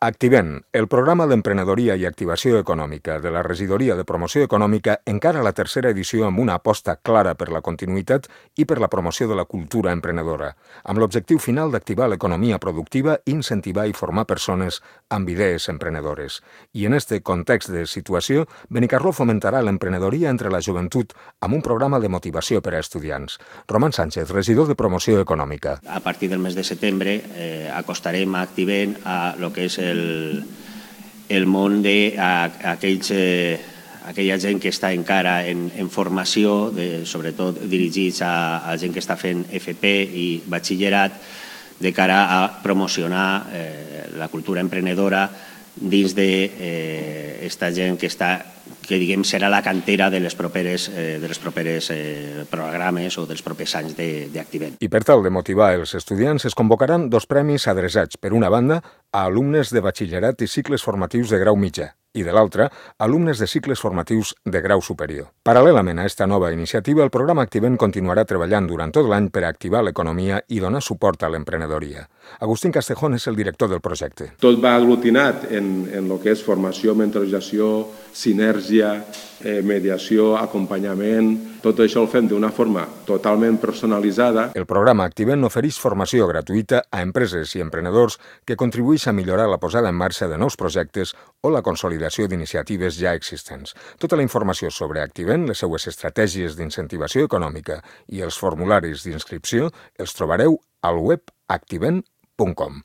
Activent, el programa d'emprenedoria i activació econòmica de la Regidoria de Promoció Econòmica encara la tercera edició amb una aposta clara per la continuïtat i per la promoció de la cultura emprenedora, amb l'objectiu final d'activar l'economia productiva, incentivar i formar persones amb idees emprenedores. I en este context de situació, Benicarló fomentarà l'emprenedoria entre la joventut amb un programa de motivació per a estudiants. Roman Sánchez, regidor de Promoció Econòmica. A partir del mes de setembre acostarem a Activent a lo que és el món d'aquella gent que està encara en formació, sobretot dirigits a gent que està fent FP i batxillerat, de cara a promocionar la cultura emprenedora dins d'esta gent que diguem serà la cantera de les properes programes o dels propers anys d'Activent. I per tal de motivar els estudiants es convocaran dos premis adreçats, per una banda, a alumnes de batxillerat i cicles formatius de grau mitjà, i de l'altra, alumnes de cicles formatius de grau superior. Paral·lelament a esta nova iniciativa, el programa Activent continuarà treballant durant tot l'any per a activar l'economia i donar suport a l'emprenedoria. Agustín Castejón és el director del projecte. Tot va aglutinat en el que és formació, mentorització, sinergia, mediació, acompanyament. Tot això ho fem d'una forma totalment personalitzada. El programa Activent ofereix formació gratuïta a empreses i emprenedors que contribueix a millorar la posada en marxa de nous projectes o la consolidació d'iniciatives ja existents. Tota la informació sobre Activent, les seues estratègies d'incentivació econòmica i els formularis d'inscripció els trobareu al web activent.com.